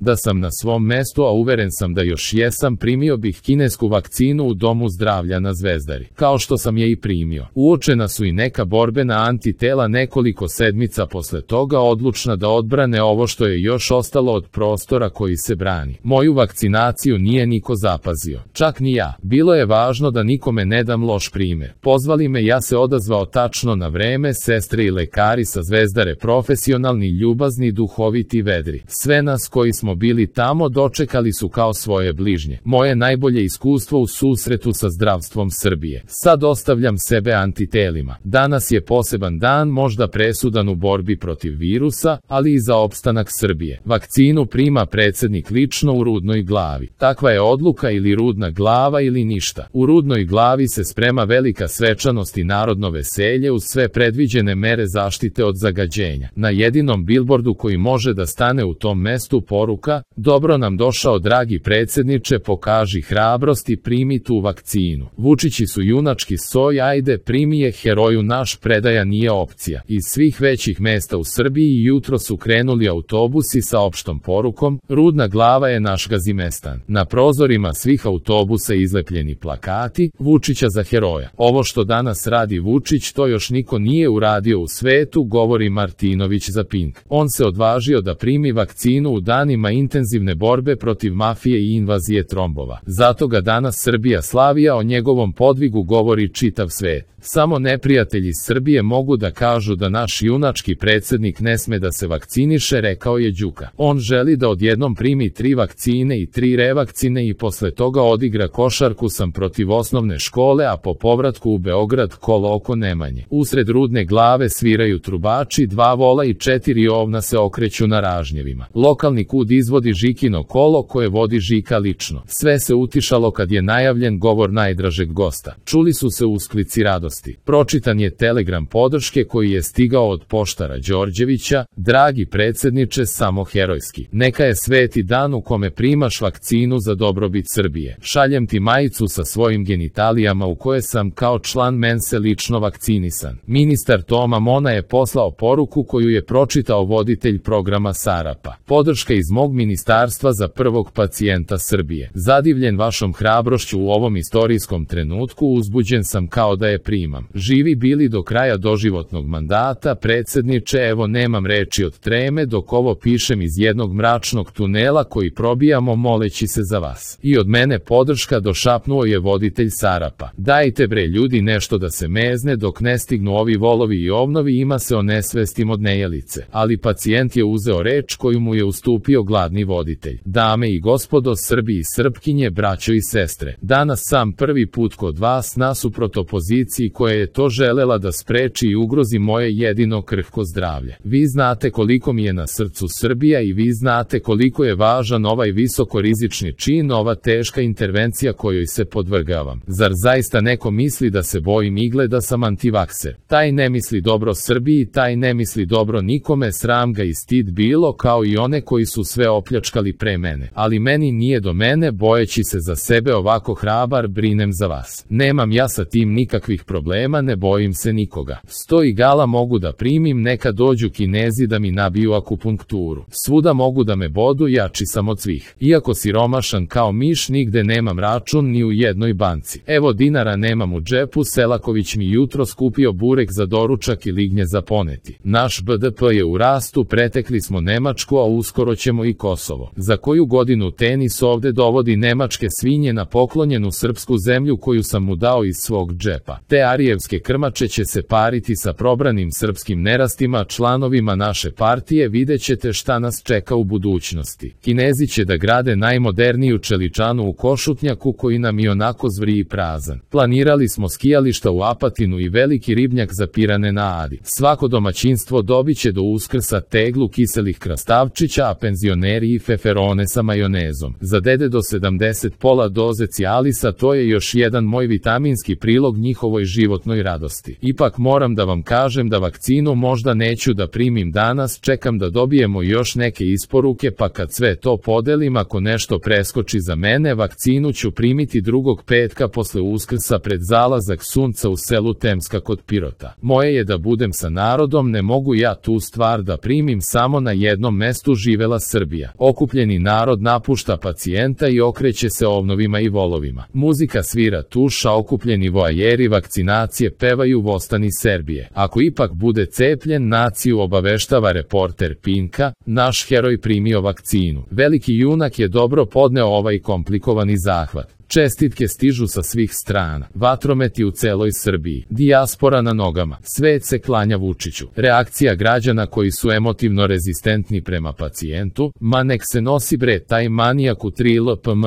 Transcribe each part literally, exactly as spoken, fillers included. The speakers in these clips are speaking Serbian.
Da sam na svom mestu, a uveren sam da još jesam, primio bih kinesku vakcinu u domu zdravlja na Zvezdari, kao što sam je i primio. Uočena su i neka borbena antitela nekoliko sedmica posle toga, odlučna da odbrane ovo što je još ostalo od prostora koji se brani. Moju vakcinaciju nije niko zapazio, čak ni ja. Bilo je važno da nikome ne dam loš primer. Pozvali me, ja se odazvao tačno na vreme, sestre i lekari sa Zvezdare, profesionalni, ljubazni, duhoviti, vedri. Sve nas koji smo bili tamo dočekali su kao svoje bližnje. Moje najbolje iskustvo u susretu sa zdravstvom Srbije. Sad ostavljam sebe antitelima. Danas je poseban dan, možda presudan u borbi protiv virusa, ali i za opstanak Srbije. Vakcinu prima predsjednik lično u Rudnoj Glavi. Takva je odluka, ili Rudna Glava ili ništa. U Rudnoj Glavi se sprema velika svečanost i narodno veselje uz sve predviđene mere zaštite od zagađenja. Na jedinom bilbordu koji može da stane u tom mestu poruka: dobro nam došao dragi predsjedniče, pokaži hrabrost i primi tu vakcinu. Vučići su junački soj, ajde primi je heroju naš, predaja nije opcija. Iz svih većih mesta u Srbiji jutro su krenuli autobusi sa opštom porukom: Rudna Glava je naš Gazimestan. Na prozorima svih autobusa izlepljeni plakati: Vučića za heroja. Ovo što danas radi Vučić, to još niko nije uradio u svetu, govori Martinović za Pink. On se odvažio da primi vakcinu u danima intenzivne borbe protiv mafije i invazije trombova. Zato ga danas Srbija slavi, a o njegovom podvigu govori čitav svet. Samo neprijatelji Srbije mogu da kažu da naš junački predsjednik ne sme da se vakciniše, rekao je Đuka. On želi da odjednom primi tri vakcine i tri revakcine i posle toga odigra košarku sam protiv osnovne škole, a po povratku u Beograd kolo oko Nemanje. Usred Rudne Glave sviraju trubači, dva vola i četiri ovna se okreću na ražnjevima. Lokalni kud izvodi Žikino kolo koje vodi Žika lično. Sve se utišalo kad je najavljen govor najdražeg gosta. Čuli su se usklici radosti. Pročitan je telegram podrške koji je stigao od poštara Đorđevića: dragi predsjedniče, samo herojski. Neka je sveti dan u kome primaš vakcinu za dobrobit Srbije. Šaljem ti majicu sa svojim genitalijama u koje sam kao član mense lično vakcinisan. Ministar Toma Mona je poslao poruku koju je pročitao voditelj programa Sarapa. Podrška iz mog ministarstva za prvog pacijenta Srbije. Zadivljen vašom hrabrošću u ovom istorijskom trenutku, uzbuđen sam kao da je primam. Živi bili do kraja doživotnog mandata, predsjedniče, evo nemam reči od treme dok ovo pišem iz jednog mračnog tunela koji probijamo moleći se za vas. I od mene podrška, došapnuo je voditelj Sarapa. Dajte bre ljudi nešto da se mezne dok ne stignu ovi volovi i ovnovi, ima se o nesvestim od nejelice. Ali pacijent je uzeo reč koju mu je ustupio gladni voditelj. Dame i gospodo, Srbi i Srpkinje, braćo i sestre, danas sam prvi put kod vas nasuprot opoziciji koja je to želela da spreči i ugrozi moje jedino krhko zdravlje. Vi znate koliko mi je na srcu Srbija i vi znate koliko je važan ovaj visokorizični čin, ova teška intervencija kojoj se podvrgavam. Zar zaista neko misli da se bojim igle, da sam antivakser? Taj ne misli dobro Srbiji, taj ne misli dobro nikome, sram ga i stid bilo, kao i one koji su sve opljačkali pre mene. Ali meni nije do mene, bojeći se za sebe ovako hrabar, brinem za vas. Nemam ja sa tim nikakvih problema, ne bojim se nikoga. Sto igala mogu da primim, neka dođu Kinezi da mi nabiju akupunkturu. Svuda mogu da me bodu, jači sam od svih. Iako siromašan kao miš, nigde nemam račun ni u jednoj banci. Evo dinara nemam u džepu, Selaković mi jutro skupio burek za doručak i lignje za poneti. Naš B D P je u rastu, pretekli smo Nemačku, a uskoro ćemo i Kosovo. Za koju godinu tenis ovde dovodi nemačke svinje na poklonjenu srpsku zemlju koju sam mu dao iz svog džepa. Te arijevske krmače će se pariti sa probranim srpskim nerastima, članovima naše partije, vidjet ćete šta nas čeka u budućnosti. Kinezi će da grade najmoderniju čeličanu u Košutnjaku koji nam i onako zvriji prazan. Planirali smo skijališta u Apatinu i veliki ribnjak za pirane na Adi. Svako domaćinstvo dobit će do Uskrsa teglu kiselih krastavčića, a penzioneri i feferone sa majonezom. Za dede do sedamdeset pola doze Cialisa, to je još jedan moj vitaminski prilog njihovoj životnoj radosti. Ipak moram da vam kažem da vakcinu možda neću da primim danas, čekam da dobijemo još neke isporuke, pa kad sve to podelim, ako nešto preskoči za mene, vakcinu ću primiti drugog petka posle Uskrsa pred zalazak sunca u selu Temska kod Pirota. Moje je da budem sa narodom, ne mogu ja tu stvar da primim samo na jednom mestu. Živela Srbija. Srbija. Okupljeni narod napušta pacijenta i okreće se ovnovima i volovima. Muzika svira tuša, okupljeni voajeri vakcinacije pevaju Vostani Serbije. Ako ipak bude cepljen, naciju obaveštava reporter Pinka, naš heroj primio vakcinu. Veliki junak je dobro podneo ovaj komplikovani zahvat. Čestitke stižu sa svih strana. Vatrometi u celoj Srbiji. Dijaspora na nogama. Svet se klanja Vučiću. Reakcija građana koji su emotivno rezistentni prema pacijentu. Ma nek se nosi bre taj manijak u tri L P M.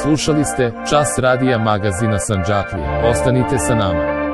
Slušali ste Čas radija magazina Sandžaklije. Ostanite sa nama.